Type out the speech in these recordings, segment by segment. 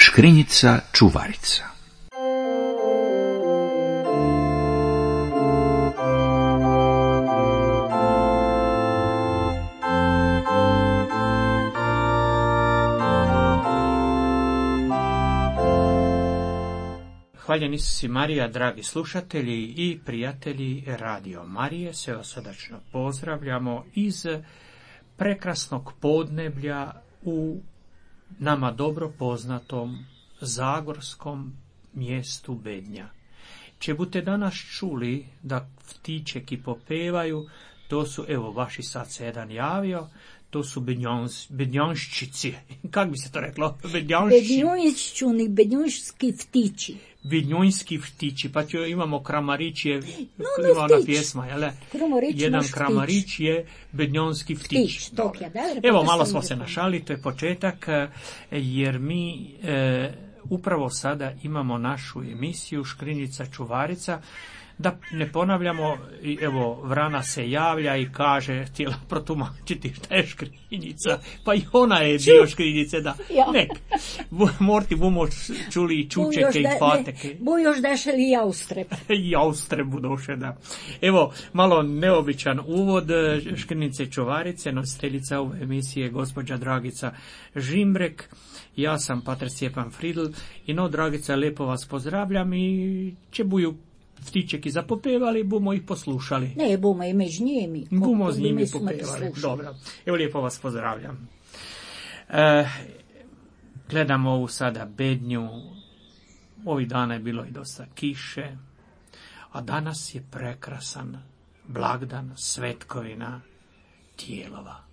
Škrinjica čuvarica. Hvaljeni si Marija, dragi slušatelji i prijatelji Radio Marije, sve vas srdačno pozdravljamo iz prekrasnog podneblja u nama dobro poznatom zagorskom mjestu Bednja. Če bute danas čuli da ptičeki popevaju, to su, evo, vaši sad se jedan javio, to su bednjonščici. Kak bi se to reklo? Bednjonški ptiči. Bednjonski ptiči, pa imamo kramarić je, ima ona pjesma, jel? Jedan kramarić je bednjonski ptič. Evo, malo smo se našali, to je početak, jer mi upravo sada imamo našu emisiju Škrinjica čuvarica. Da ne ponavljamo, evo, Vrana se javlja i kaže, htjela protumačiti šta je škrinjica, pa i ona je dio škrinjice, da. Nek, morti bumo čuli i čučeke i fateke. Bu još dašeli jaustreb. Jaustreb budoše, da. Evo, malo neobičan uvod Škrinjice čuvarice, nositeljica ove emisije gospođa Dragica Žimbrek. Ja sam pater Stjepan Fridl i no, Dragica, lijepo vas pozdravljam i će buju ptičeki zapopevali, bumo ih poslušali. Ne, bumo i među njimi. Bumo s njimi popevali. Dobro. Evo, lijepo vas pozdravljam. Gledamo ovu sada Bednju. Ovih dana je bilo i dosta kiše, a danas je prekrasan blagdan, svetkovina Tijelova.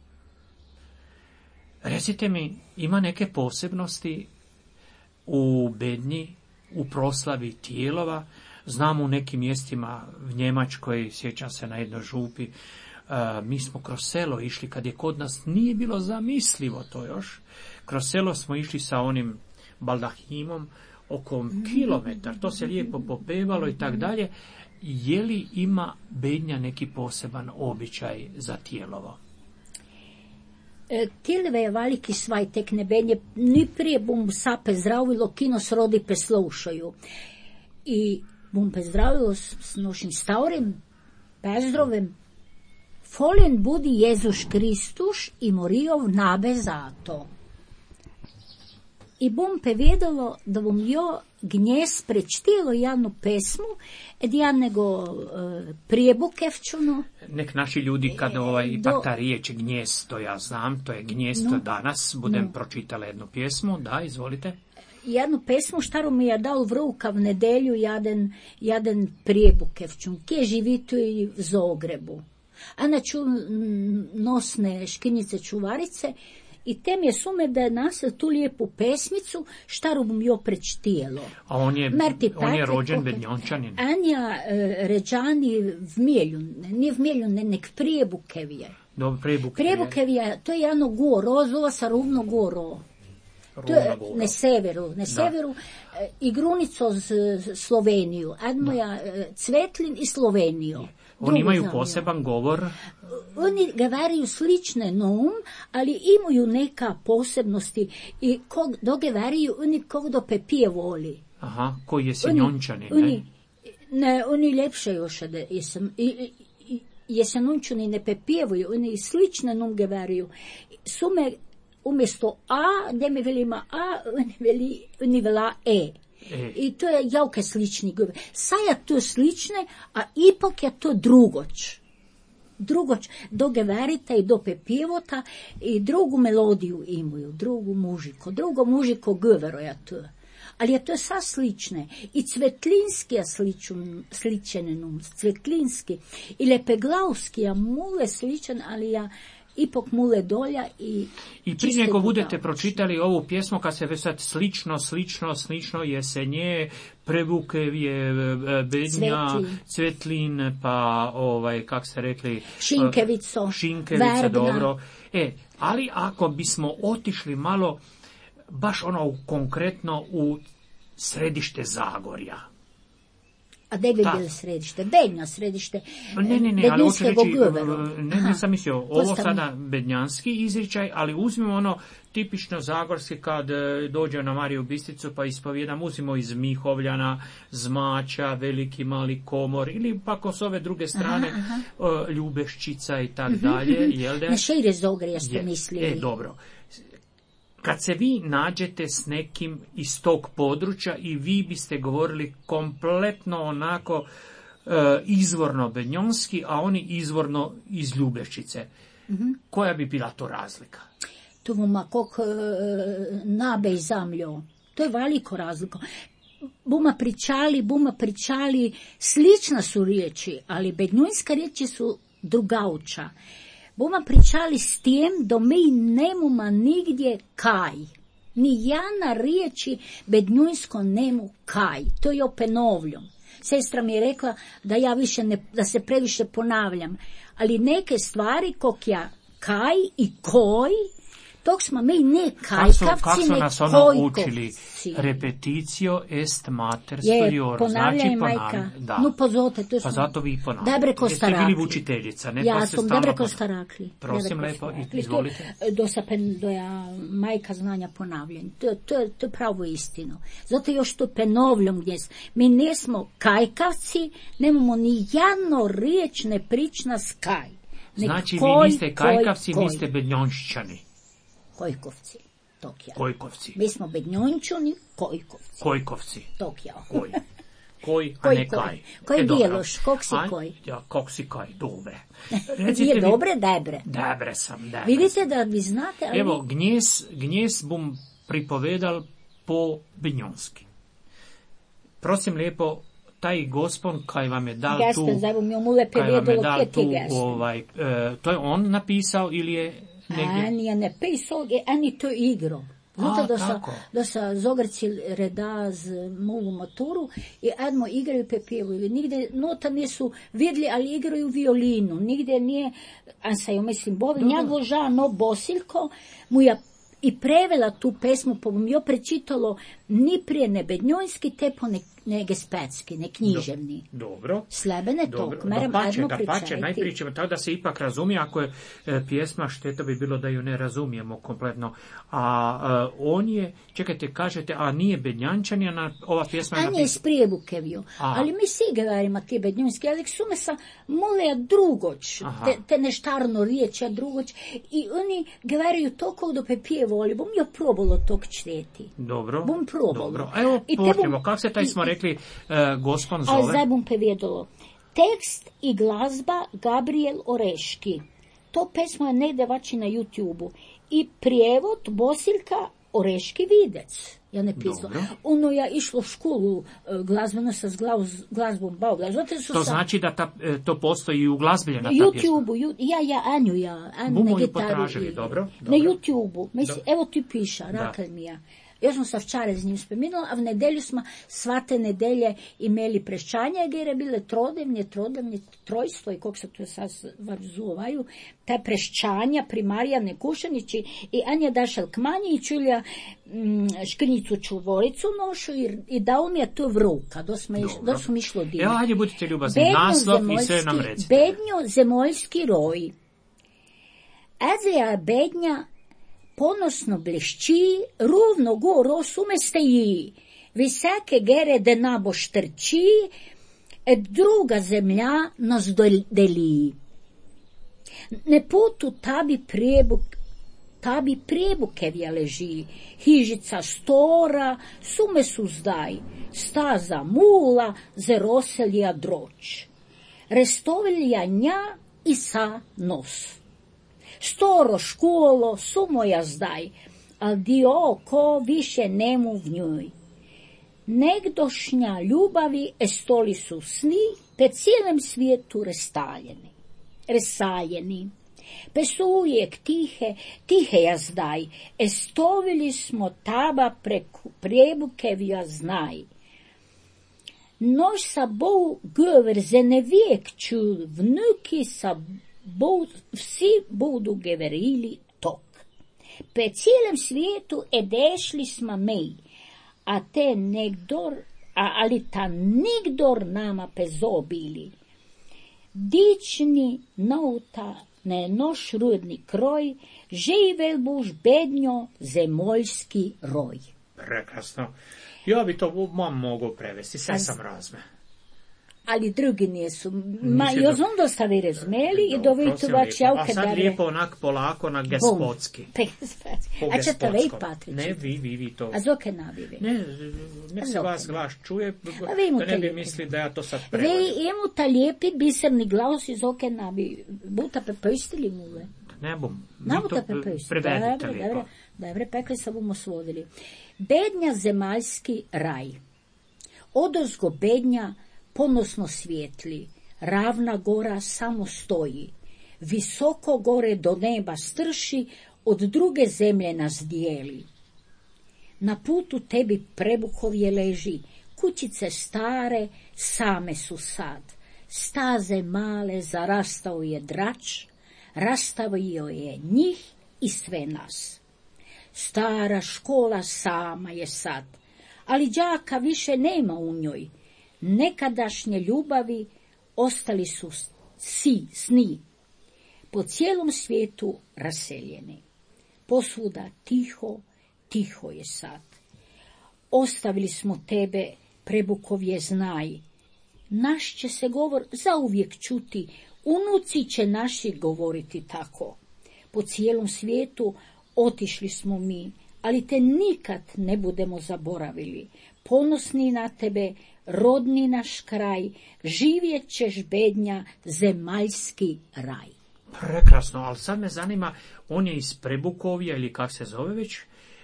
Recite mi, ima neke posebnosti u Bednji, u proslavi Tijelova? Znam u nekim mjestima v Njemačkoj, sjećam se na jednoj župi, mi smo kroz selo išli, kad je kod nas nije bilo zamislivo to još, kroz selo smo išli sa onim baldahimom oko kilometar, to se lijepo popevalo i tak dalje. Je li ima Bednja neki poseban običaj za Tijelovo? Tijelove je veliki svajtek ne Bednje, ni prije bum sape zdravilo, kino srodi pe slušaju. I bom pozdravilo s našim stavrim pezdrovem. Foljen budi Jezus Kristus i morijov nabe zato. I bom povedalo da bom jo gnjes prečtilo jednu pesmu, jednego prijebukevčuno. Nek naši ljudi, kad ipak ta riječ gnjes, to ja znam, to je gnjes, to danas budem pročitala jednu pjesmu, da, izvolite. Jednu pesmu štaru mi je dal v ruka v nedelju jedan prijebukevčun, kje živito i v Zagrebu. A naču nosne Škrinjice čuvarice i tem je sume da je nas tu lijepu pesmicu štaru bom jo prečtijelo. A on je rođen Bednjončanin. Anja ređani v Mielju, nije v Mielju, nek Prijebukevje. Dobro, Prijebukevje, to je jedno goro, zove se Rovno goro. To je na severu, i grunico z Sloveniju, Admoja Cvetlin i Sloveniju. Oni imaju poseban govor? Oni govaraju slične nom, ali imaju neka posebnosti i dogovaraju oni kog do pepije voli. Aha, koji je Senjončani, ne? Oni ljepše još, jesenončani ne pepijevuju, oni slične nom govaraju. Sume umjesto A, gdje mi velima A, oni vela E. I to je javke slični govor. Saja to slične, a ipak je to drugoč. Drugoč do geverita i do pepivota i drugu melodiju imaju, drugo mužiko govoro je to. Ali je to sa slične. I cvetlinski je sličen, cvetlinski. I lepeglavski je mule sličan, ali ja ipak mule dolja i prije nego budete pročitali ovu pjesmu, kad se već sad slično jesenje, Prebukevje, Bednja, Cvetlin, pa kak ste rekli, Šinkevica, dobro. Ali ako bismo otišli malo baš konkretno u središte Zagorja, A gdje bi bilo središte? Bednja središte. Ne, ali hoću reći, nisam mislio, ovo sada bednjanski izričaj, ali uzmimo ono tipično zagorski kad dođe na Mariju Bistricu pa ispovjedam, uzmimo iz Mihovljana, Zmača, Veliki Mali Komor ili pa s ove druge strane Ljubeščica i tak dalje. Na šire Zogrija ste mislili. Dobro. Kad se vi nađete s nekim iz tog područja i vi biste govorili kompletno onako izvorno bednjonski, a oni izvorno iz Ljubeščice, koja bi bila to razlika? To buma kog nabe i zamljo. To je veliko razliko. Buma pričali, slična su riječi, ali bednjunska riječi su drugauča. Buma pričali s tim da mi nemamo nigdje kaj. Ni jana riječi bednjunsko nemu kaj. To je openovljom. Sestra mi je rekla da ja više da se previše ponavljam. Ali neke stvari kok ja kaj i koj, tog smo mi ne kajkavci, kako su nas ono učili? Repetitio est mater studiorum. Ponavljaj, majka. Da. No, pozote, to pa zato vi ponavljate. Dobre ko starakli. Jeste bili učiteljica, ne? Ja sam dobre ko starakli. Prosim lepo, izvolite. Do ja majka znanja ponavljanja. To je pravo istino. Zato još to penovljom gdje mi nismo kajkavci, nemamo ni jedno riječ ne prična s kaj. Znači vi niste kajkavci, niste bednjonščani. Kojkovci. Tokija. Kojkovci. Mi smo bednjončani, kojkovci. Kojkovci. Tokija. Koj, a ne kaj. Koji bijeloš, kog si koj? Ja, kog si kaj, dobre. Nije dobre, debre. Debre sam. Vidite da vi znate, ali... Evo, gnjes bom pripovedal po bednjonski. Prosim lepo, taj gospon kaj vam je dal tu... To je on napisao ili je... Ani je napisao, ani to igro. Zato da sa Zogrci reda z movu maturu i admo igraju pepjevuju. Nigde nota nisu vidjeli, ali igraju violinu. Nigde nije, a sa jo mislim, bovi, njadvo žano Bosiljko mu ja i prevela tu pesmu, pa bom jo prečitalo ni prije ne bednjonski, te po ne gespetski, ne književni. Dobro. Slebene to, kmerem admo pričajti. Najprije ćemo tako da se ipak razumije, ako je pjesma, šteta bi bilo da ju ne razumijemo kompletno. A on je, čekajte, kažete, a nije bednjančan, ova pjesma je napisana. A nije iz Prijebukevju, ali mi si govorimo ti bednjonski, ali sume sa moleja drugoć, te neštarno riječ, drugoć, i oni govoraju toliko do pepjevoli, bom jo probalo tog čteti. Dobro. Bom probalo. Dobro. Evo, počnemo, kako se taj smo rekli gospon zove? A zdaj bom povedalo. Tekst i glazba Gabriel Oreški. To pesmo je negde vači na YouTube-u. I prijevod Bosiljka Oreški Videc. Ja ne pisala. Ono ja išlo u školu glazbeno sa glazbom bavila. To znači da to postoji u glazbilje na YouTube-u. Anju na gitaru. Potražili, dobro. Na YouTube-u. Evo ti piša, rakal mi ja. Još smo sa včeraj z njim spomenuli, a v nedelju smo svate nedelje imeli preščanje, jer je bile trodevnje, trojstvo i kako se to sad zovaju, te preščanja pri Marijane Kušanići i Anja Dašel Kmanji i Čulja Škrnicu Čuvoricu nošu i dao mi je to v ruka, da smo išlo dime. Evo, hajde budite ljubazni, naslov i sve nam recite. Bednjo zemoljski roj. Azija bednja ponosno blešči, rovno goro sume steji, visake gere de nabo štrči, druga zemlja nas deli. Ne putu tabi prijebukevja leži, hižica stora, sume su zdaj, staza mula, zeroselja droč. Restovelja nja i sa nos. Storo školo, sumoja zdaj, al dio oko više nemu v njoj. Negdošnja ljubavi estoli su sni, pe cijelem svijetu resaljeni. Pe su uvijek tihe ja zdaj, estovili smo taba prijebukevja znaj. Nož sa bou göver ze ne vijek čul, vnuki sa vsi budu govorili tok. Pe cijelem svijetu edešli smo mi, a te ali ta nigdor nama pezobili. Dični nauta ne noš rudni kroj, živel buš bednjo zemoljski roj. Prekrasno. Ja bi to mogu prevesti, sve sam razme. Ali drugi nisu. Jo znam dosta vi razumeli i dovituvač javke. A sad lijepo onak polako na gospodski. A ćete vi, Patrić? Ne, vi to. A zoke nabivi? Ne se vas glas čuje, da ne bi misli da ja to sad prevodim. Vi imu ta lijepi biserni glas i zoke nabivi. Buta prepustili mu ve? Ne bum. Nabuta prepustili. Prevedite lijepo. Dobre, pekli sa bumo svodili. Bednja zemaljski raj. Odozgo bednja ponosno svijetli, ravna gora samo stoji, visoko gore do neba strši, od druge zemlje nas dijeli. Na putu tebi prebukovje leži, kućice stare same su sad, staze male zarastao je drač, rastavio je njih i sve nas. Stara škola sama je sad, ali đaka više nema u njoj. Nekadašnje ljubavi ostali su sni, po cijelom svijetu raseljeni. Posvuda tiho je sad. Ostavili smo tebe, prebukovje znaj. Naš će se govor zauvijek čuti, unuci će naši govoriti tako. Po cijelom svijetu otišli smo mi, ali te nikad ne budemo zaboravili. Ponosni na tebe, rodni naš kraj, živjet ćeš bednja, zemaljski raj. Prekrasno, ali sad me zanima, on je iz Prebukovja ili kak se zove već,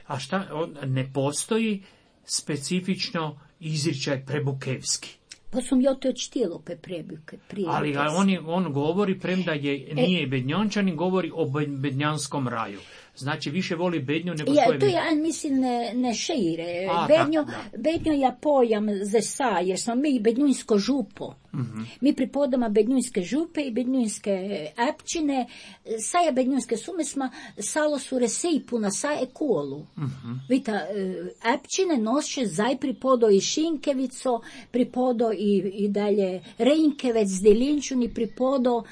a šta, ne postoji specifično izričaj prebukevski. Pa sam ja to čtijelo prebuke. Ali on govori, premda nije bednjančanin, govori o bednjanskom raju. Znači, više voli bednju nego svoje... To ja mislim ne šeire. Bednjo je pojam za sa, jer smo mi bednjunsko župo. Mm-hmm. Mi pripadamo bednjunske župe i bednjunske epčine. Saja bednjunske sume smo salo su resejpu na sa ekolu. Mm-hmm. Vita, epčine noše zaj pripodo i Šinkevico, pripodo i dalje Rejnkevec, Delinčuni, pripodo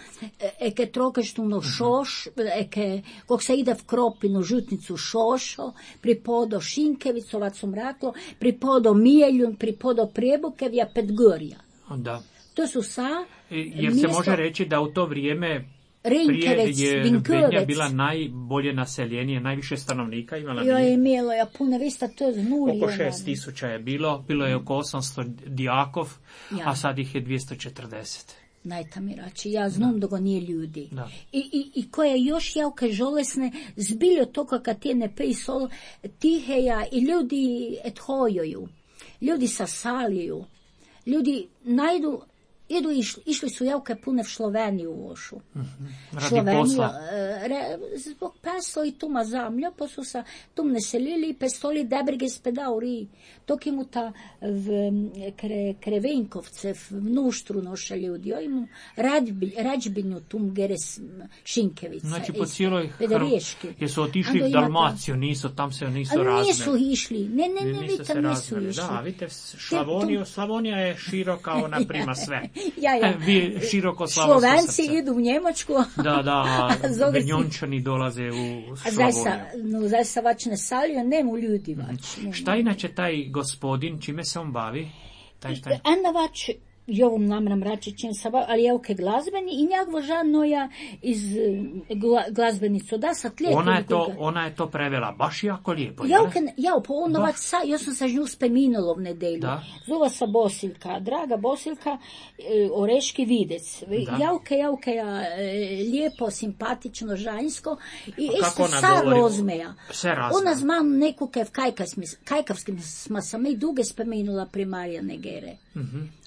eke trokeštunu šoš, eke, kog se ide v Kropinu, žutnicu šošo, pripodo Šinkevicovac sam raklo, pripodo Mijeljun, pripodo Prebukevja, Petgorja. Da. To su sa... Jer se može reći da u to vrijeme prije je Bednja bila najbolje naseljenije, najviše stanovnika imala. Jo je imelo, ja puno vista, to je nuli. Oko 6.000 je bilo je oko 800 dijakov, a sad ih je 240. Najtamirači, ja znam da go nije ljudi. I koje još javke žolesne, zbiljo toga kad ti ne pejsol, tiheja i ljudi ethojoju, ljudi sasaliju, ljudi najdu, išli su javke pune v Sloveniju u Ošu. Sloveniju, zbog peslo i tuma zamlja, pa su se tum naselili i pestoli debrige spedauri. Tok imu ta v Krevenkovce, v Nuštru noše ljudi, imu Rađbinju tum geres Šinkevica. Znači po cijeloj jesu otišli v Dalmaciju, tam se nisu razne. Ali nisu išli, ne, tam nisu išli. Da, vidite, Slavonija je široka, ona prima sve. Ja. Vi široko slavonsko srce. Slovenci idu u Njemačku. Da, Bednjončani dolaze u Slavoniju. Zdaj se vač ne salijo, nemu ljudi vač. Šta inače taj gospodin, čime se on bavi? Anda vač, ovom namram rači čim se bavi, ali je oke glazbeni i njegovo žano ja iz glazbenicu. Da, sad lijepo. Ona je to prevela, baš jako lijepo. Ja sam sa nju speminula v nedelju. Zova sa Bosiljka, draga Bosiljka, Oreški videc. Jauke, lijepo, simpatično, žanjsko. I isto sa rozmeja. Ona zna neku kajkavskim smo sam i duge speminula primarija Negere.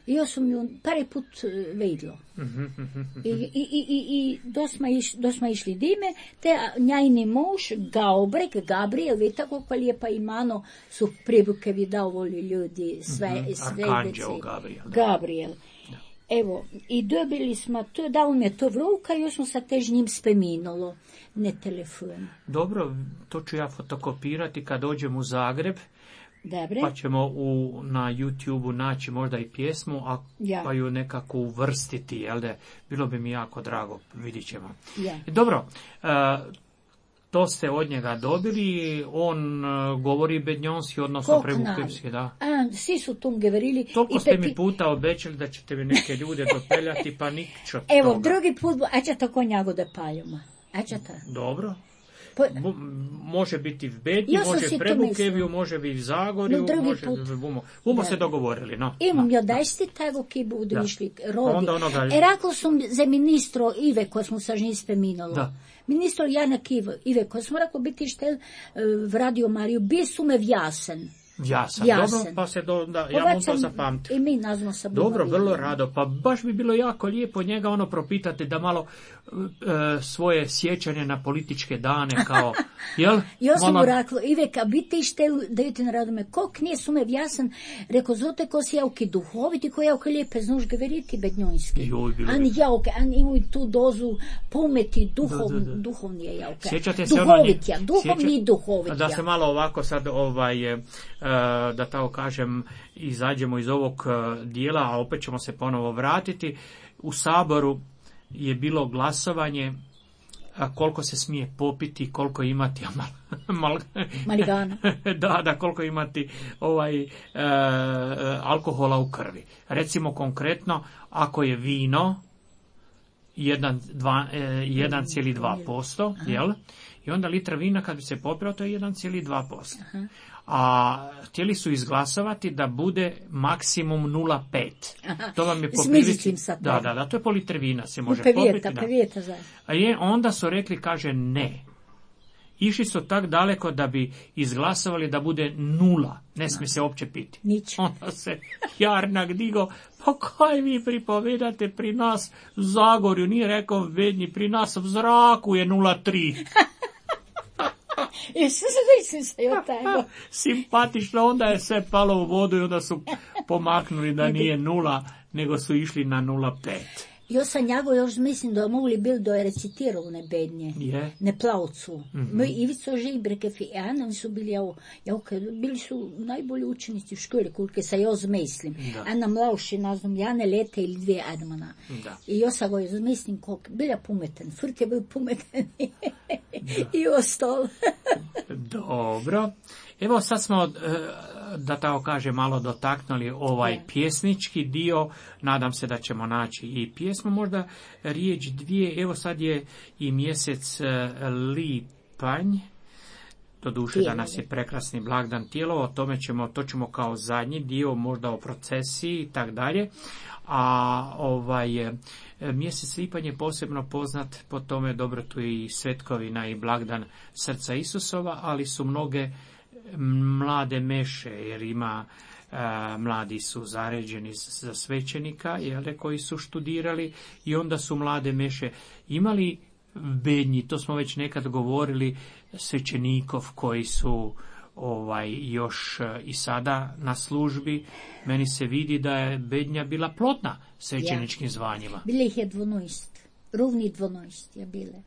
I ja sam ju prvi put vidjela. I dosma išli dime, te njajni muž, Gabriel, vidite kako lijepa imano su Prebukevi davoli ljudi, Arkanđel Gabriel. Evo, i dobili smo to, dao mi je to v ruka i još smo sa tež njim speminalo, ne telefon. Dobro, to ću ja fotokopirati kad dođem u Zagreb. Dobre. Pa ćemo na YouTube-u naći možda i pjesmu, pa ju nekako uvrstiti, jel da? Bilo bi mi jako drago, vidit ćemo. Ja. Dobro, to ste od njega dobili, on govori bednjonski, odnosno prevukljivski, da. Svi su tom govorili. Toliko ste mi puta obećali da ćete mi neke ljude dopeljati, pa ničo toga. Evo, drugi put, aćete konjago da paljuma. Aćete. Dobro. Može biti v Bednji, može v Prebukeviju, može biti v Zagorju, bomo se dogovorili. No. Imam jo dajsti tego, ki budu išli rodi. Rekao sam za ministro Ive, ko smo sa njim spominali. Ministro Janak Ive, ko smo rekao biti štel v Radio Mariju, bi su me vjasen. Jasan. Dobro, pa se ja mu to zapamtim. I mi nazvamo se dobro, vrlo rado. Pa baš bi bilo jako lijepo njega propitati da malo svoje sjećanje na političke dane kao, jel? Ja sam mu rekla, Iveka, biti štel, dajte na radome, kok nije sume vjasan, rekao, zote ko si javki duhoviti, ko javke lijepe znaš govoriti bednjonski. Ani javke, ani imaju tu dozu pometi, duhovni je javke. Sjećate se duhovni i duhovitja. Da se malo ovako sad, da tako kažem, izađemo iz ovog dijela, a opet ćemo se ponovo vratiti. U Saboru je bilo glasovanje koliko se smije popiti, koliko imati maligana. Da, koliko imati alkohola u krvi. Recimo konkretno, ako je vino 1,2%, jel? I onda litra vina kad bi se popilo, to je 1,2%. A htjeli su izglasovati da bude maksimum 0,5. To vam je po prilici. Da, to je po litri vina se može popiti. A onda su rekli, kaže ne. Išli su tak daleko da bi izglasovali da bude 0. Ne smije se uopće piti. Onda se Jarnak digo, pa kaj vi pripovedate pri nas u Zagorju, nije rekao Bednji, pri nas u zraku je 0,3. Simpatično, onda je sve palo u vodu i onda su pomaknuli da nije 0, nego su išli na 0,5. Ja sam njego još mislim da mogli bil da je recitirao ne Bednje, ne plavcu. Moj Ivico Žibrekev i Ana su bili, bili su najbolji učenici u školi, koliko se ja zmislim. Ana mlavši, nazvam, Jane Lete ili 2 Admana. I ja sam ga zmislim koliko, bila pumeten, Furt je bil pumeten i ostalo. Dobro. Evo sad smo, da tako kaže, malo dotaknuli pjesnički dio. Nadam se da ćemo naći i pjesmu, možda riječ dvije. Evo sad je i mjesec lipanj. Doduše danas je prekrasni blagdan tijelo, o tome to ćemo kao zadnji dio, možda o procesiji i tak dalje. A mjesec lipanj je posebno poznat po tome, dobro, tu je i svetkovina i blagdan srca Isusova, ali su mnoge mlade meše, jer ima mladi su zaređeni za svećenika, koji su študirali, i onda su mlade meše imali Bednji, to smo već nekad govorili, svećenikov koji su još i sada na službi. Meni se vidi da je Bednja bila plodna svećeničkim zvanjima. Bile ih je 12, rovni 12 je bile.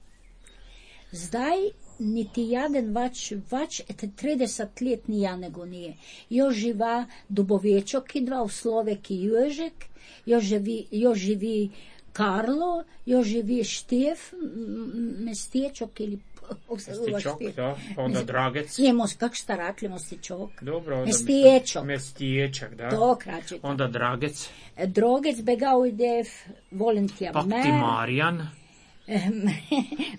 Zdaj niti jeden več 30 let ni ja nego nije. Jo živa Dubovečok i 2 v Sloveki Jožek, jo živi Karlo, jo živi Štef, Mestečok ili Mestečok, da, onda Dragec. Njemo, kak šta rakli Mestečok? Dobro, Mestečok. Mestečok, da. To kraće. Onda Dragec. Drogec, Begaudev, Volentija Mer. Pak ti Marijan.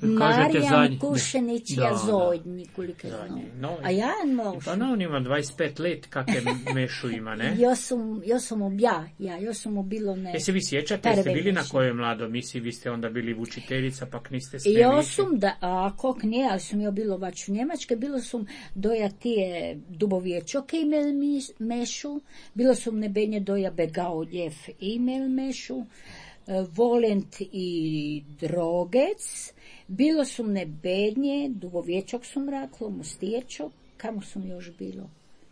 Marijan Kušenić je zadnji, koliko znam. A ja je mlaši. Pa on ima 25 let, kakve mešu ima, ne? Ja sam mu bilo ne. Jesi vi sjećate, jeste bili na kojoj mlado misiji, vi ste onda bili učiteljica, pak niste smjeli Ja sam, kak ne, ali sam ja bilo vač u Njemačke, bilo sam doja tije Dubovječoke imeli mešu, bilo sam nebenje doja Begaudjev imeli mešu, Volent i Drogec, bilo su ne Bednje, Dubovječok sam rekla, Mostiječok, kamo sam još bilo.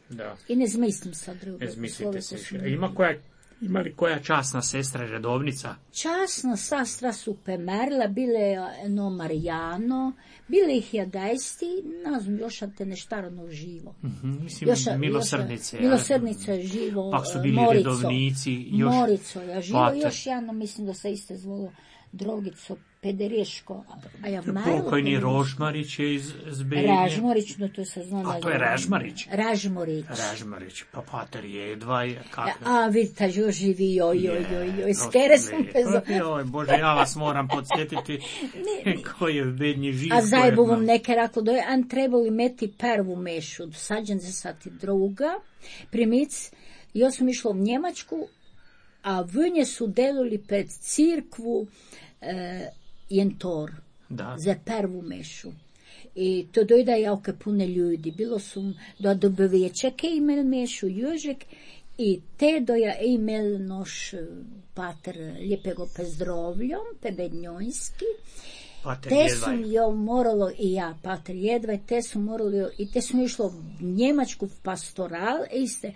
Da. I ne zmislim sad drugo. Ne zmislite se više. Ima koja Ima li koja časna sestra redovnica? Časna sestra su pemerila, bile no Marijano, bile ih jadajsti, ne znam, još te neštarano živo. Mislim, milosrdnice. Milosrdnica je živo, pa su bili Morico, redovnici. Još Morico je živo, pater. još jedno mislim da se iste zvalo Drogico, Pedereško, a ja pokojni Rožmarić je iz Zbenje. Ražmorić, no to se zna. A to je Ražmarić? Ražmorić, pa pater Jedvaj. A vidite, još živi, joj, skere sam pezo. Joj, Bože, ja vas moram podsjetiti koji je bednji živ. A zajbu vam neke rako, da je an trebali meti prvu mešu, sađen za sati druga, primic, ja sam išla u Njemačku, a vnje su delili pred cirkvu jentor za prvu mešu. I to dojda jauke pune ljudi. Bilo su do dobovečeke imel mešu Jožek i te doja imel noš pater lijepego pezdrovljom, pebednjojski. Te su jo moralo i ja, pater Jedvaj, te su morali i te su išlo u Njemačku v pastoral, iste.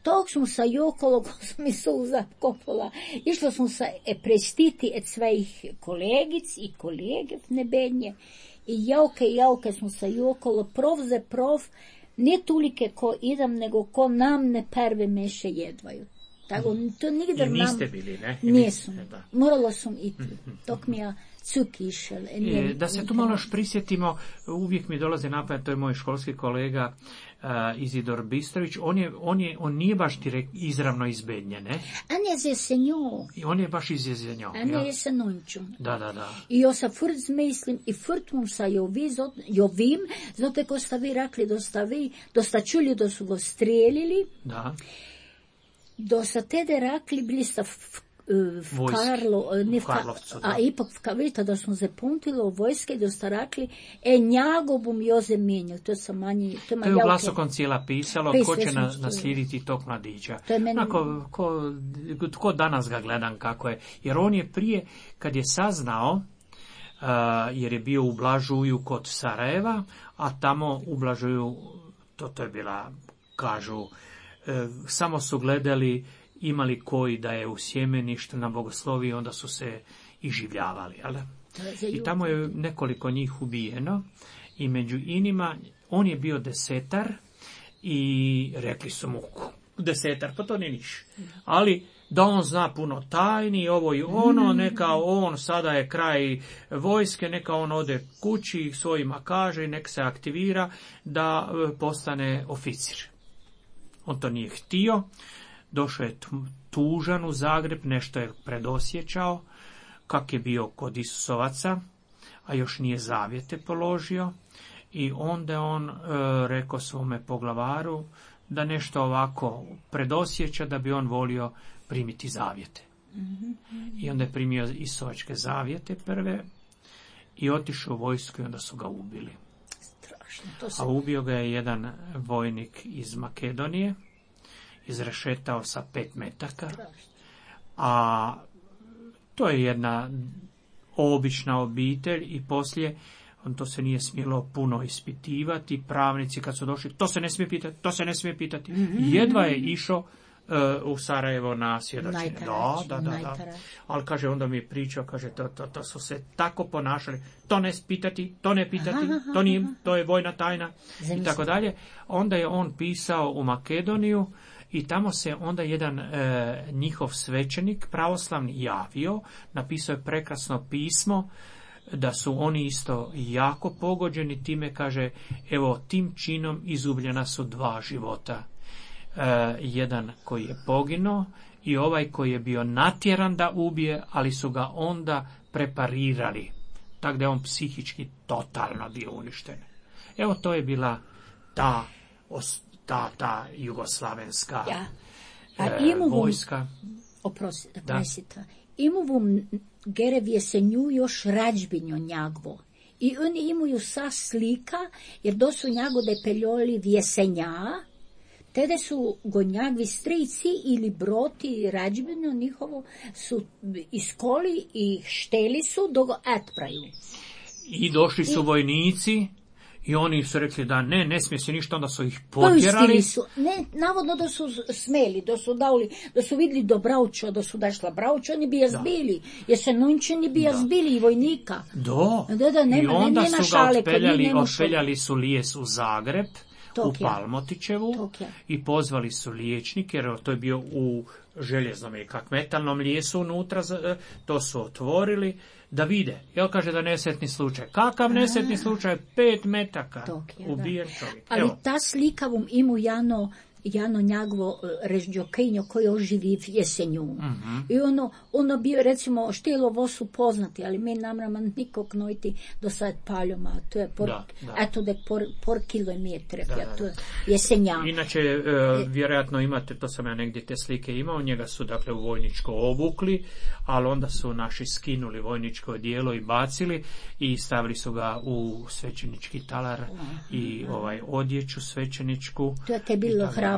Tog sam sa jokolo, ko sam mi suza kopala, išla sam sa prestiti od svojih kolegic i kolege v nebednje i jauke smo sa jokolo, prov, ne tulike ko idem, nego ko nam ne prve meše jedvaju. Tako, to nigdje nam... I niste bili, ne? Nijesam. Morala sam iti. Tok mi ja cuk išel. Da se tu malo još prisjetimo, uvijek mi dolazi na pamet, to je moj školski kolega Izidor Bistrović, on nije baš direkt izravno iz Bednje, ne? On je z Jesenjo. I on je baš iz Jesenjo. On je Jesenonču. Da. I jo sa furt zmislim, i furt mum sa jovim, zato ko sta vi rekli, dosta čuli, da su go strijelili. Da. Dosta tede rekli, bili sta v Karlovcu, a ipak vidite da smo zapuntili u vojske i da ste rekli njago bom jo zamenjal. To je u glasu koncila pisalo ko će naslijediti tog mladića. Tko danas ga gledam kako je. Jer on je prije, kad je saznao, jer je bio u Blažuju kod Sarajeva, a tamo u Blažuju, to je bila, kažu, samo su gledali imali koji da je u sjemeništu na bogoslovi, onda su se iživljavali. Ali? I tamo je nekoliko njih ubijeno i među inima on je bio desetar i rekli su mu desetar, pa to nije niš. Ali da on zna puno tajni, ovo i ono, neka on sada je kraj vojske, neka on ode kući svojima kaže i neka se aktivira da postane oficir. On to nije htio. Došao je tužan u Zagreb, nešto je predosjećao, kak je bio kod Isusovaca, a još nije zavjete položio. I onda je on rekao svome poglavaru da nešto ovako predosjeća, da bi on volio primiti zavjete. I onda je primio Isusovačke zavjete prve i otišao u vojsku i onda su ga ubili. A ubio ga je jedan vojnik iz Makedonije, izrešetao sa 5 metaka, a to je jedna obična obitelj i poslije to se nije smjelo puno ispitivati, pravnici kad su došli, to se ne smije pitati. Jedva je išao u Sarajevo na svjedočenje. Da. Ali kaže, onda mi je pričao, kaže, to su se tako ponašali, to ne pitati, to je vojna tajna i tako dalje. Onda je on pisao u Makedoniju i tamo se onda jedan njihov svećenik pravoslavni javio, napisao je prekrasno pismo, da su oni isto jako pogođeni time, kaže, evo, tim činom izgubljena su 2 života. Jedan koji je poginuo i ovaj koji je bio natjeran da ubije, ali su ga onda preparirali. Tako da je on psihički totalno bio uništen. Evo, to je bila ta jugoslavenska vojska. Oprostite. Imu Gerevije se nju još rađbinjo njagvo. I oni imaju sa slika, jer do su njagode peljoli vjesenja, tede su go njagvi strici ili broti rađbinjo njihovo su iskoli i šteli su do go atpraju. I došli su vojnici I oni su rekli da ne smije se ništa, onda su ih potjerali. Navodno da su smeli, da su vidjeli do Brauča, da su dašla Brauča, oni bi je zbili. Jer se Nunčani bi je zbili i vojnika. I onda su ga otpeljali su lijes u Zagreb, u Palmotićevu i pozvali su liječnike, jer to je bio u željeznom i kak metalnom lijesu unutra, to su otvorili da vide. Jel kaže da nesretni slučaj. Kakav nesretni slučaj? 5 metaka. Ubijen čovjek. Ali ta slika vam ima Jano njagovo režđokenjo koje oživi v jesenju. I ono bi, recimo, štilo vosu poznati, ali mi namrama nikog nojti do sad paljoma. To je por kilometre, to je jesenja. Inače, vjerojatno imate, to sam ja negdje te slike imao, njega su dakle u vojničko obukli, ali onda su naši skinuli vojničko odijelo i bacili i stavili su ga u svećenički talar i odjeću svećeničku. To je te bilo hrabrost.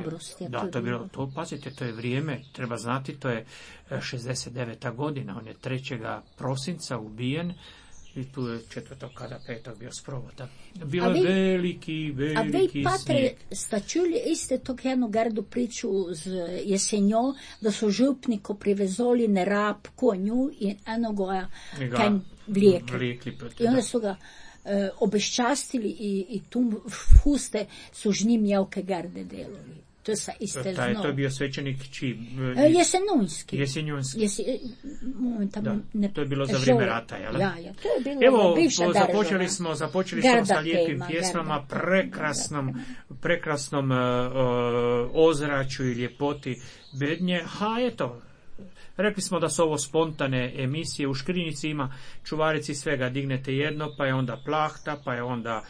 To je bilo, pazite, to je vrijeme, treba znati, to je 69. godina, on je 3. prosinca ubijen i tu je 4. kada 5. bio sprovod. Bilo je veliki A vi, patre, sta čuli iste tog jednu gardu priču z jesenjo, da su župniko privezoli na rab konju i enogoja kaj vlijekli. I onda su ga obeščastili i tu huste su žni mjelke garde delovi. To je bio svećenik Jesenunski. To je bilo za vrijeme rata, jel? To je bilo bivša država. Započeli smo sa lijepim pjesmama, prekrasnom ozračju i ljepoti Bednje. Eto, rekli smo da su ovo spontane emisije, u škrinjici ima čuvarici svega, dignete jedno, pa je onda plahta, pa je onda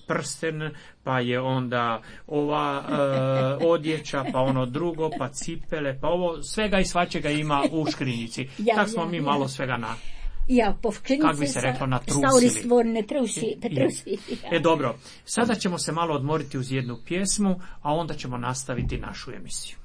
prsten, pa je onda ova odjeća, pa ono drugo, pa cipele, pa ovo, svega i svačega ima u škrinjici. Tak smo mi malo svega kak bi se reklo, natrusili. Dobro, sada ćemo se malo odmoriti uz jednu pjesmu, a onda ćemo nastaviti našu emisiju.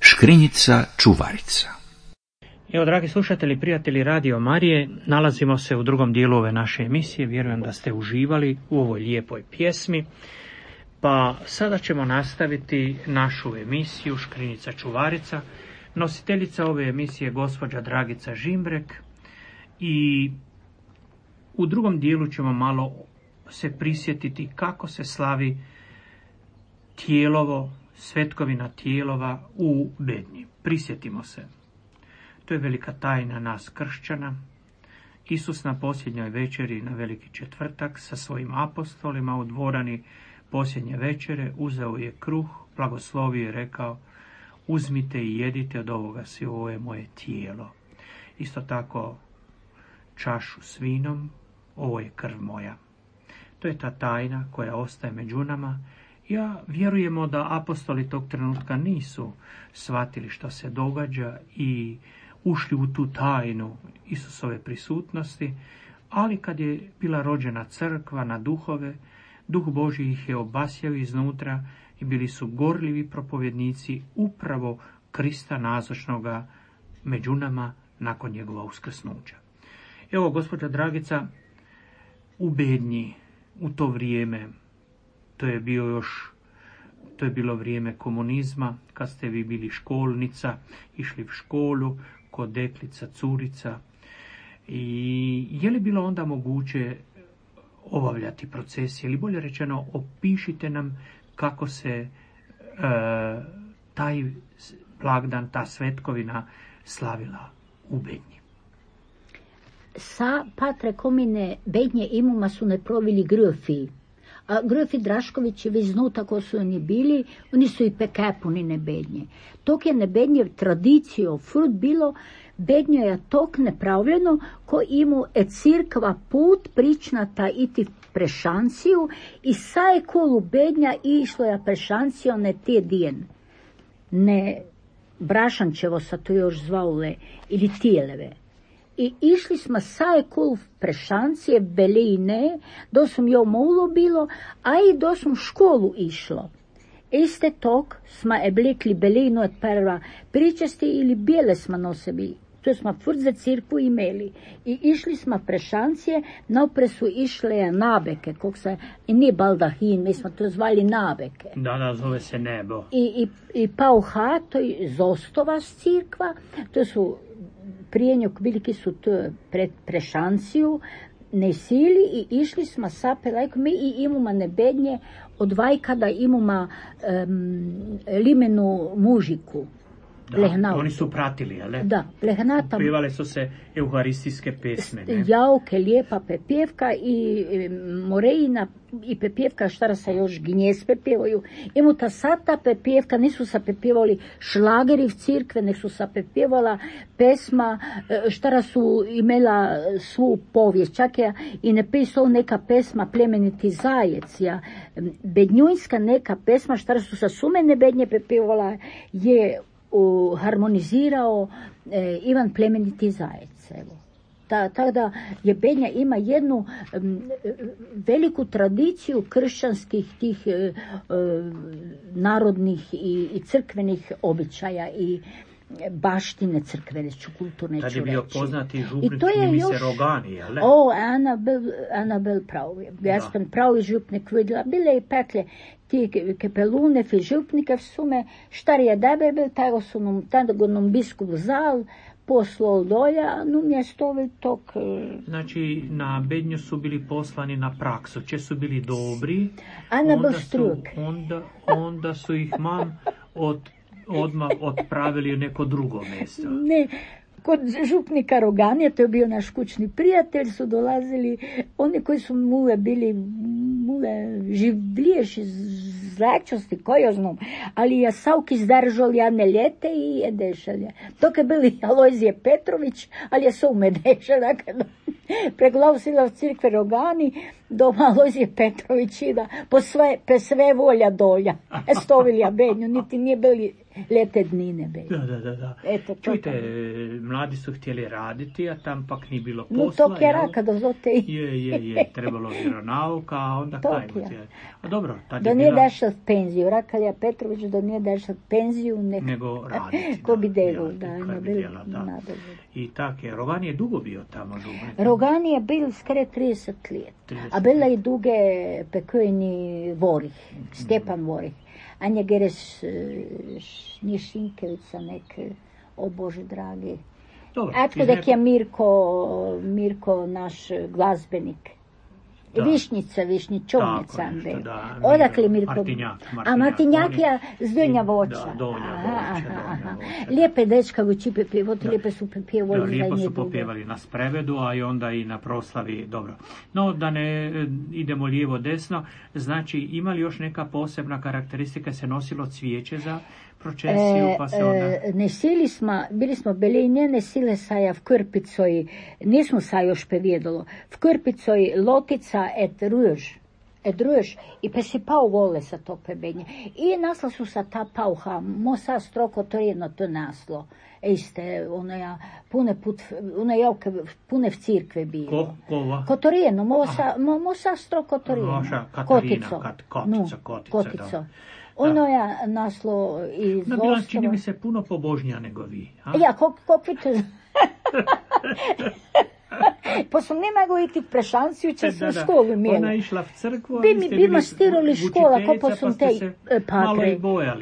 Škrinjica čuvarica. Evo, dragi slušatelji, prijatelji Radio Marije, nalazimo se u drugom dijelu ove naše emisije. Vjerujem da ste uživali u ovoj lijepoj pjesmi. Pa sada ćemo nastaviti našu emisiju Škrinjica čuvarica. Nositeljica ove emisije je gospođa Dragica Žimbrek i u drugom dijelu ćemo malo se prisjetiti kako se slavi tijelovo, svetkovina tijelova u Bednji. Prisjetimo se. To je velika tajna nas kršćana. Isus na posljednjoj večeri na Veliki četvrtak sa svojim apostolima u dvorani posljednje večere uzeo je kruh, blagoslovio i rekao: uzmite i jedite od ovoga svi, ovo je moje tijelo. Isto tako čašu s vinom, ovo je krv moja. To je ta tajna koja ostaje među nama. Ja vjerujemo da apostoli tog trenutka nisu shvatili što se događa i ušli u tu tajnu Isusove prisutnosti, ali kad je bila rođena crkva na duhove, Duh Božji ih je obasjao iznutra i bili su gorljivi propovjednici upravo Krista nazočnoga među nama nakon njegova uskrsnuća. Evo, gospođa Dragica, u Bednji, u to vrijeme, to je bilo vrijeme komunizma, kad ste vi bili školnica, išli u školu, kod deklica, curica. I je li bilo onda moguće obavljati procesije, ili bolje rečeno, opišite nam kako se taj blagdan, ta svetkovina slavila u Bednji. Sa Patre Komine Bednje imuma su ne provili gröfi. A gröfi Draškovići već znu tako su oni bili, oni su i pekepuni ne Bednje. Tok je ne Bednje tradicijo frut bilo, Bednjo je tok nepravljeno, ko imu cirkva put pričnata iti prešanciju i saje kolu Bednja išlo je prešancijo ne te dijen. Ne Brašančevo sa to još zvaule ili tijeleve. I išli smo saje kol prešancije, belejne, do sam jo moulo bilo, a i do sam školu išlo. Iste tok smo oblekli belejno od prva pričasti ili bijele smo nosebi. To smo furt za cirkvu imeli. I išli smo prešancije, napre su išle nabeke, kog se, i nije baldahin, mi smo to zvali nabeke. Da, zove se nebo. I pauha, to je Zostova cirkva, to su prijenjok veliki su to prešanciju, ne sili i išli smo sapelajko, mi i imamo ne Bednje, od vajkada imamo limenu mužiku. Da, oni su pratili, ali? Da, plehnata. Pjevale su se euharistijske pesme, ne? Jauke, lijepa pepjevka i morejina i pepjevka, štara se još gnjez pepjevaju. Imu ta sata pepjevka, nisu se pepjevali šlageri v cirkve, nek su se pepjevala pesma, štara su imela svu povijest. Čak je i ne pisao neka pesma Plemeniti zajec, ja. Bednjujska neka pesma, štara su sa sumene Bednje pepjevala, je harmonizirao Ivan Plemeniti zajec. Evo. Tako da je Bednja ima jednu veliku tradiciju kršćanskih tih narodnih i crkvenih običaja i baštine crkvene, kulturne ću reći. Tad je bio poznati župnik, čini mi se Rogani, jel? Anabel pravi. Ja sam pravi župnik vidjela. Bile i pekle ti kepelunev i župnikev sume, štarije debe bil, tako nam biskup zal, poslal dolja, no mjestovi tok. Znači, na Bednju su bili poslani na praksu, če su bili dobri, onda su ih odmah otpravili u neko drugo mjesto. Ne, kod župnika Roganija, to je bio naš kućni prijatelj, su dolazili oni koji su bili življeši, zračnosti, kojo znam, ali ja savki zdržal jedne ljete i je dešalje. Tok je bili Alojzije Petrović, ali je su me dešala, preglavsila v cirkve Rogani, do Alojzije Petrović i da po sve volja dolja. Stovilja Bednju, niti nije bili Lete dnine bili. Da. Eto, čujte, mladi su htjeli raditi, a tam pak nije bilo posla. No to kjera kada zote. Je, trebalo vjeronauka, a onda kajmo. A dobro, tad je bila... Da nije dašao penziju, Rakalja Petrović da nije dašao penziju, nego raditi. Ko bi delao, da. I tak je, Rogani je dugo bio tamo. Rogani je bil skre 30 let, a bila je duge pekojni Vorih, Stjepan Vorih. Anja Geres Nišinkevica nek, o Bože dragi. Atko dek je Mirko naš glazbenik. Višnjičovnica. Odakle Mirko? Martinjak je z Donja Voća. Lijepe dečka u Čipe pjevoti, lijepe su pjevali. Lijepo su popjevali na sprevedu, a i onda i na proslavi. Dobro. No, da ne idemo lijevo desno, znači imali još neka posebna karakteristika, se nosilo cvijeće za procesiju, pa se onda... Bili smo belinje, ne sile saja v Krpicoj, nismo sa još pevedalo, v Krpicoj lotica et ruž, i pa si pao vole sa to pebenje. I nasla su sa ta pauha, mo sa stroko to jedno to naslo. Ejste, pune v cirkve bilo. Kotorijeno, mo sa stroko kotorijeno. Kotico. Kotico. Ono je naslo iz Ostava. Bila čini mi se puno pobožnija nego vi. A? Ja, kopite. Pa sam ne mogu iti v prešanciju, če sam školu imela. Ona išla v crkvu, bi mastirali škola, ko sam te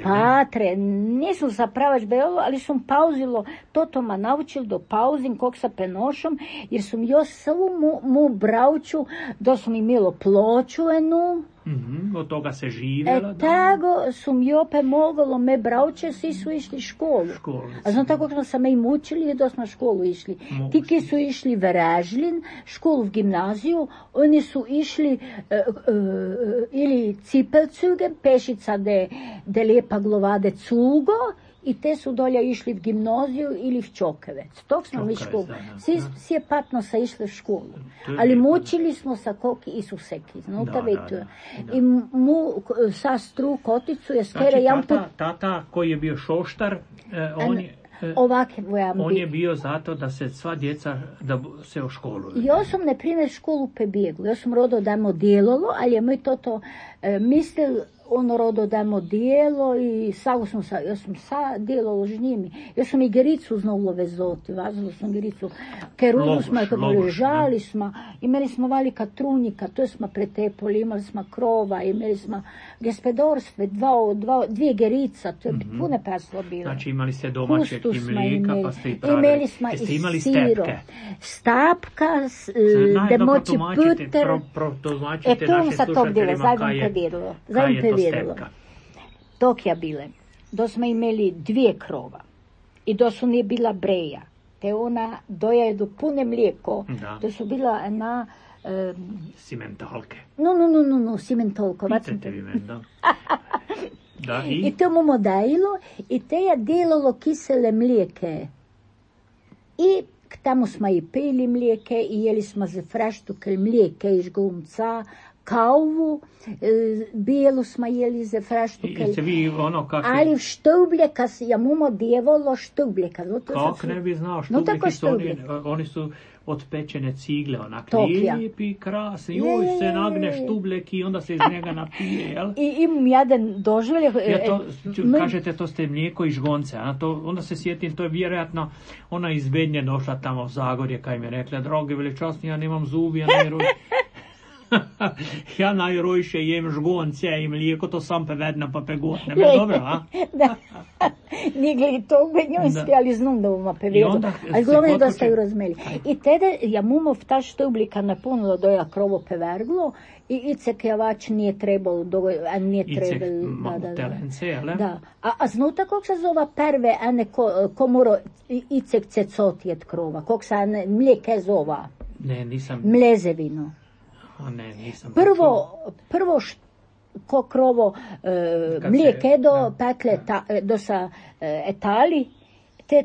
patre. Nisam zapravač belo, ali sam pauzilo, toto ma naučil do pauzin, kog sa penošom, jer sam jo samo mu bravču, da sam imelo ploču enu. Od toga se živjela. Tako sam jope moglo me bravče, svi su išli školu. A znam tako smo se me i mučili i da smo školu išli. Ti ki su išli v Režlin, školu v gimnaziju, oni su išli ili Cipelcuge, Pešica de Lepa Glovade Cugo, i te su dolje išli v gimnaziju ili v Čokevec. Tok smo mi školu. Svi je patno sa išli v školu. Ali mučili smo sa koki Isuseki. I mu sa stru koticu je skere jam put... Tata koji je bio šoštar, on je bio zato da se sva djeca da se oškoluju. Ja sam, na primjer, školu prebjegla. Ja sam rodo dajmo djelolo, ali je moj toto mislil ono rodo dajmo dijelo i ja sam sa djelalo z njimi. Ja sam i Gericu znala vezoti, vazila sam Gericu. Kerudu smo, žali smo, imali smo valika trunjika, to smo pretepoli, imali smo krova, imali smo gospodarstve, dvije Gerica, to je puno paslo bilo. Znači imali ste domaćeg i mlijeka, pa ste i pravili. Imali smo i siro. Stapka, da moći puter. Protumačite našim slušateljima kaj je to stepka. Tok je bile. Da smo imeli dvije krova i da su nije bila breja. Te ona dojedu pune mlijeko. Da su bila na... Simentalke. No, simentolko. Picete vi men, da. I to mu dajilo i te je delalo kisele mlijeke. I tamo smo i pili mlijeke i jeli smo za fraštukel mlijeke iz gumca, kavu, bijelu smo jeli za fraštukel. Ali štubljeka, ja mumo djevolo štubljeka. Kako ne bi znao, štubljeki su oni su od pečene cigle, onak lijepi, krasni, joj se nagne štubljek i onda se iz njega napije, jel? I imam jedan doživlje. Kažete, to ste mlijeko i žgonce, onda se sjetim, to je vjerojatno ona iz Bednje došla tamo u Zagorje, kaj mi je rekla, drogi veličasni, ja nemam zubi, ja ja najrojše jem žgonce i mlijeko, to sam pevedna pa pegotne. Dobro, a? Da. Nije gledi to bednjojski, ali znam da vama pevedu. Ali glavno da ste ju razmeli. I tede, ja mumov ta štublika napunilo doja krovo peverglo i icek javač nije trebalo, a nije trebalo. Icek telence, ale? Da. A znuta kog se zova perve, a ne ko mora icek cecoti et krova, kog se mlijeke zova? Ne, nisam. Mlezevino. Ne, nisam. Prvo ko krovo mlijeke do pekle do sa etali, te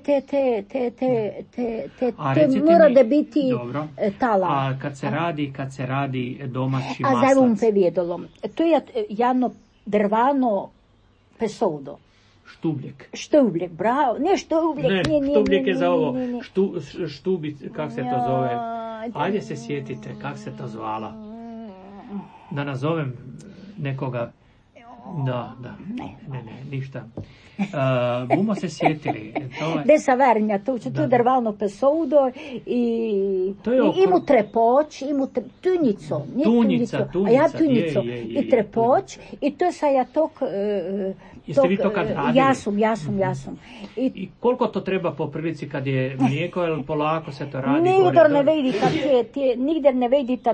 mora da biti tala. A kad se radi domaći maslac? A zavom pevijedolom. To je jedno drvano pesovdo. Štubljek, bravo. Ne štubljek, ne, štubljek je za ovo. Štubic, kako se to zove? Ajde se sjetite, kako se to zvala. Da nazovem nekoga. Da. Ne, ništa. Bumo se sjetili. Desa vernja, tu drvalno pesoudo i imu trepoč, tunico. Tunica. A ja tunico. I trepoč. I to sa ja tok... Jeste vi to kad radili? Ja sam. I koliko to treba po prilici kad je mlijeko, ili polako se to radi? Nigder ne vedita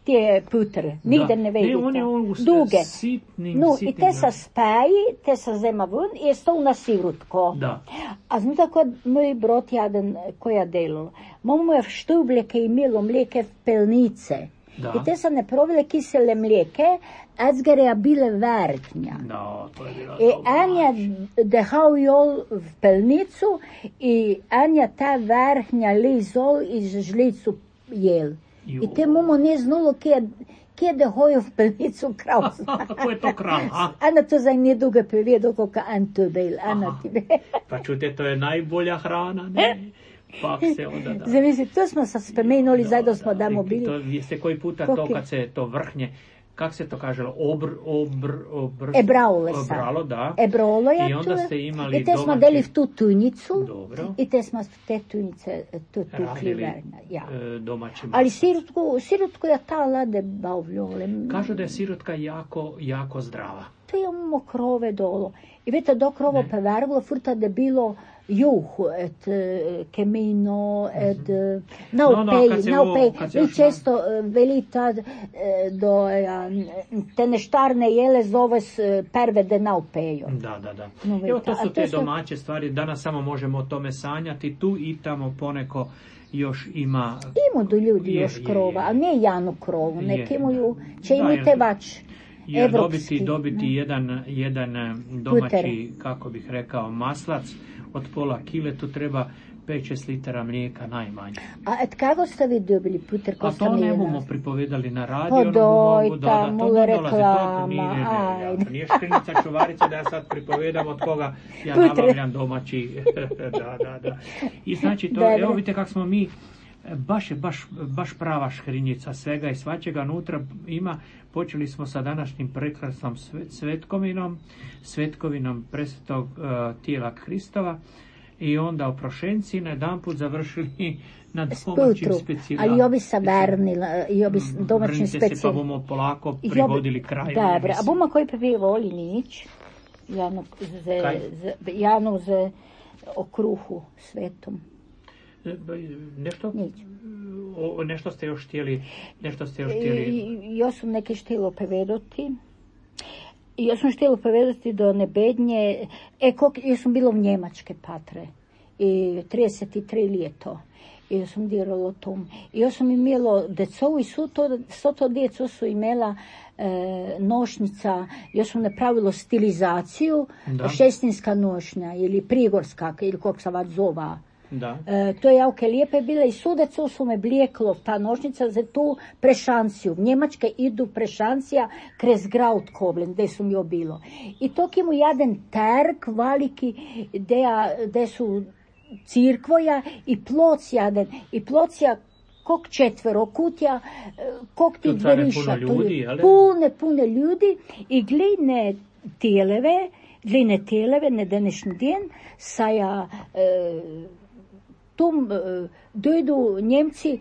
te putre. Nigder ne vedita. Duge. Sitnim. I te sa speji, te sa zema vun i je stol na sirutko. Da. A znate kod moj brot jaden koja delala. Momo je štubljeke imelo mlijeke pelnice. Da. I te sa ne provile kisele mlijeke, Edzgereja bile vertnja. No, to je bilo I en je dehal jol v pelnicu i en je ta verhnja lizol iz žlicu jel. I te momo ne znalo kje dehojo v pelnicu krav. Kako je to krav, a? Ana to za nje dugo povedal, kako en to bil. Pa čute, to je najbolja hrana, ne? Pa se onda da. Zavisi, to smo se spomenuli, zdaj da smo damo bili. To jeste koji puta to kad se to vrhnje, kak se to kaželo, Ebralo, da. Ebrolo je i onda ste imali i te smo deli v tu tunicu. Dobro. I te smo te tunice tu kliverna. Ja. Domaćim. Ali sirutku je ta lade bavljole. Kažu da je sirutka jako zdrava. To je mokrove dolo. I vete, dok rovo pevervilo, furta da bilo juhu, kemino, naupej. I često velita do te neštarne jele zove perve de naupejo. Da. Evo, to su te domaće stvari. Danas samo možemo o tome sanjati. Tu i tamo poneko još ima... Imu do ljudi još krova, ali nije janu krovu. Neki imaju, će imite vač. Jer dobiti jedan domaći, kako bih rekao, maslac od pola kile, tu treba 5-6 litara mlijeka najmanje. A kako ste vi dobili puter? A to ne bomo pripovedali na radio. Pa dojta, mula reklama. Nije škrinica čuvarica da ja sad pripovedam od koga ja nabavljam domaći. Da. I znači to, evo vidite kako smo mi, baš prava škrinjica svega i svačega unutra ima. Počeli smo sa današnjim prekrasnom svetkovinom presvetog tijela Hristova i onda oprošenci na jedan put završili na domaćim specijalima. Ali obi sa vernila, i obi domaćim specijalima. Se pa bomo polako privodili kraju. Dobro, a bomo koji pevi voli nič? Janu za okruhu svetom. Nešto ste još htjeli. Ja sam neke htjela povedati. Ja sam htjela povedati do nebednje. Ja sam bila u Njemačke patre. I 33 ljeto. I ja sam dirala o tom. I ja sam imela decovu i svo to djeco su imela nošnica. Ja sam napravila stilizaciju. Šestinska nošnja ili prigorska ili kako se već zova. To je jako lijepe bile i sudecu su me blijeklo ta nošnica za tu prešanciju. V Njemačke idu prešancija krez Graut Koblen, gdje su mi bilo. I tok imu jedan terk veliki gdje su cirkvoja i ploc jaden. I plocija kog četvero kutja, kog ti dveriša. Pune ljudi i gline televe na današnji dan saja tom dojdu Njemci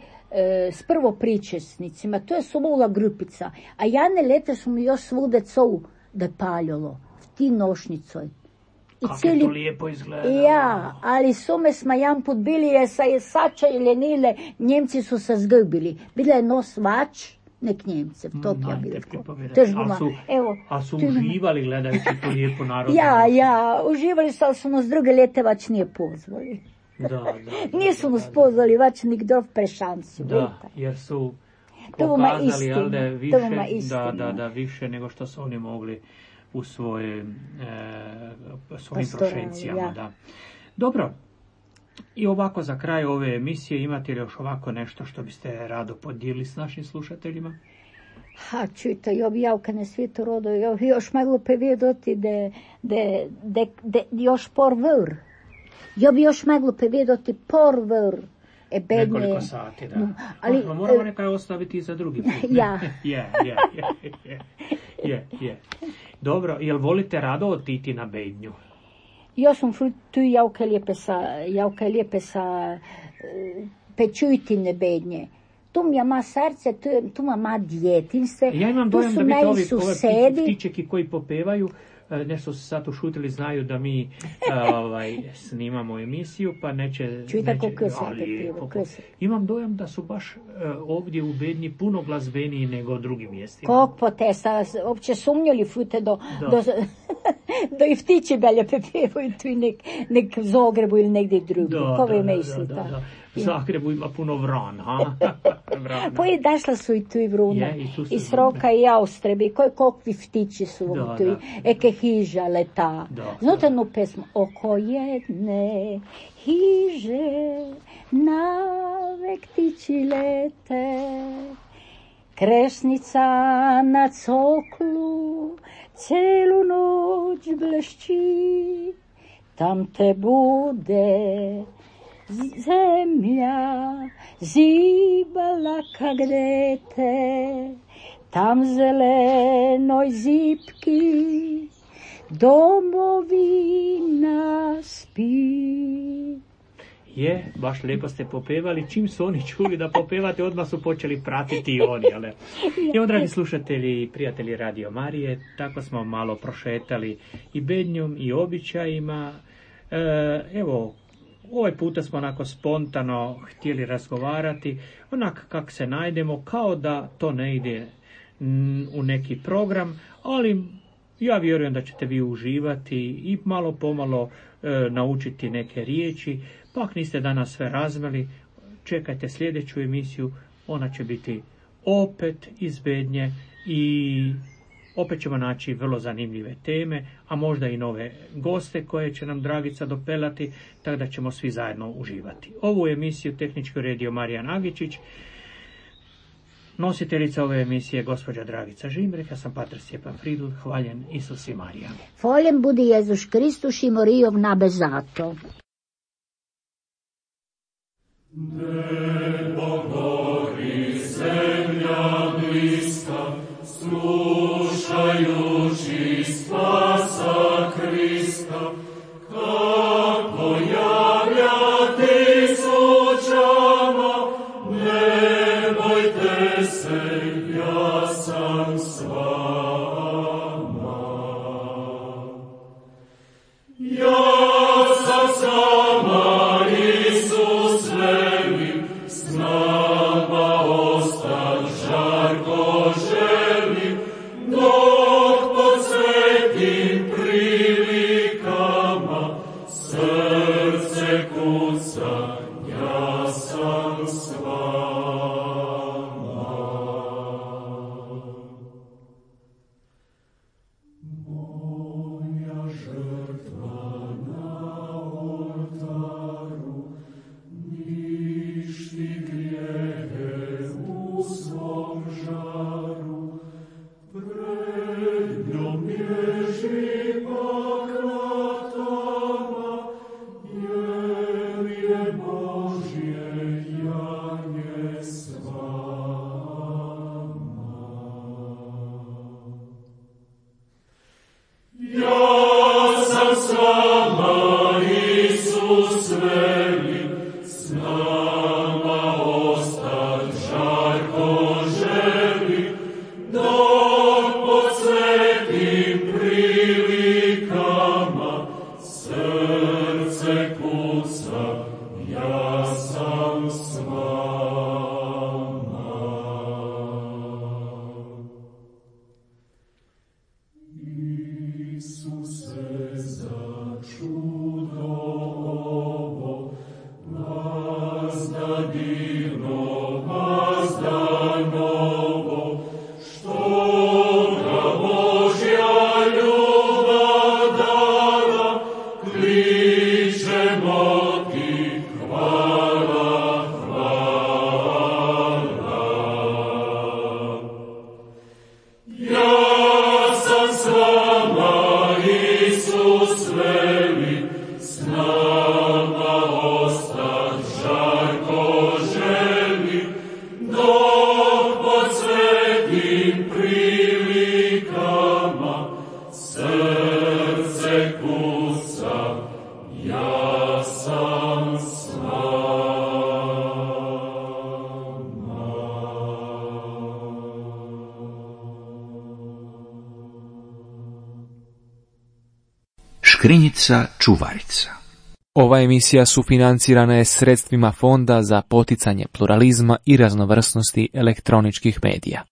s prvo pričesnicima, to je sobola grupica, a jane leta su mi još svude covu da paljalo, v ti nošnicoj. Kako je to lijepo izgleda. Ja, ali su me smo jedan put bili, jer sa je sača i ljenile, Njemci su se zgubili. Bila je nos vač, nek Njemce, to ja bilo. A su uživali gledajući tu lijepo narodu? Ja, uživali su, ali su nas druge lete vač nije pozvali. Da. Nisu nas pozvali vač nikdo v prešanciju. Da, jer su pokazali više, više nego što su oni mogli u svojim prošencijama. Da. Dobro, i ovako za kraj ove emisije imate li još ovako nešto što biste rado podijelili s našim slušateljima? Čujte, ja bi javka na svijetu rodu, ja bi još mogla povedati da još porvr. Ja bi još mogla povedati porvr. Nekoliko sati, da. Ali, moramo nekaj ostaviti za drugi put. Ja. Je. Dobro, jel volite rado otići na bednju? Ja sam tu javka lijepe sa pečujtine bednje. Tu mi ima srce, tu ima djetinjstvo. Ja imam dojam da vi ove ptičeki koji popevaju, nešto su sad ušutili, znaju da mi snimamo emisiju, pa neće... Čujte koliko je Imam dojam da su baš ovdje u bednji puno glazbeniji nego u drugim mjestima. Kako te, uopće sumnjali fute do i ptiči belje pepevaju tu nek v Zagrebu ili negdje drugdje. Ko vi mislite? U Zagrebu ima puno vrana. Pa i dašla su i tu i vruna. I sroka i jaustrebi. Kakvi ptiči su tu. Eke hiža leta. Znate jednu pesmu? Oko jedne hiže navek ptiči lete. Kresnica na coklu celu noć blešči. Tam te bude zemlja zibala kak dete, tam zelenoj zipki domovina spi. Je, baš lijepo ste popevali. Čim su oni čuli da popevate, odmah su počeli pratiti i oni. Ali... Evo, dragi slušatelji i prijatelji Radio Marije, tako smo malo prošetali i bednjom i običajima. Evo, ovaj puta smo onako spontano htjeli razgovarati, onak kak se najdemo, kao da to ne ide u neki program, ali ja vjerujem da ćete vi uživati i malo pomalo naučiti neke riječi. Pa ako niste danas sve razmeli, čekajte sljedeću emisiju, ona će biti opet iz bednje i opet ćemo naći vrlo zanimljive teme, a možda i nove goste koje će nam Dragica dopelati, tako da ćemo svi zajedno uživati. Ovu emisiju tehnički uredio Marija Nagičić, nositeljica ove emisije gospođa Dragica Žimrek, ja sam pater Stjepan Fridl, hvaljen Isus i Marija. Hvaljen budi Jezus Kristus i Morijov nabezato. Nebo gori, zemlja bliska, slušajući spasa Krista, kako javlja tisućama, ne bojte se, ja sam s vama. Ja sam s vama, Isus veli, s nama ostan žarko želi, dok pod svetim prilikama srce kuca, ja sam s vama. Moja žrtva na oltaru ništi grijehe u svom žaru, pred njom bježi pak vratama, jer je Božje janje s vama. Ja sam s vama, Isus veli, s nama ostat žarko želi, dok pod svetim prilikama srce kuca, ja sam s vama. Isuse, za čudo ovo, vazda divno, vazda novo, što ga Božja ljubav dala, kličemo ti hvala, hvala. dok pod svetim prilikama srce kuca, ja sam s Škrinjica čuvarica. Ova emisija sufinancirana je sredstvima Fonda za poticanje pluralizma i raznovrsnosti elektroničkih medija.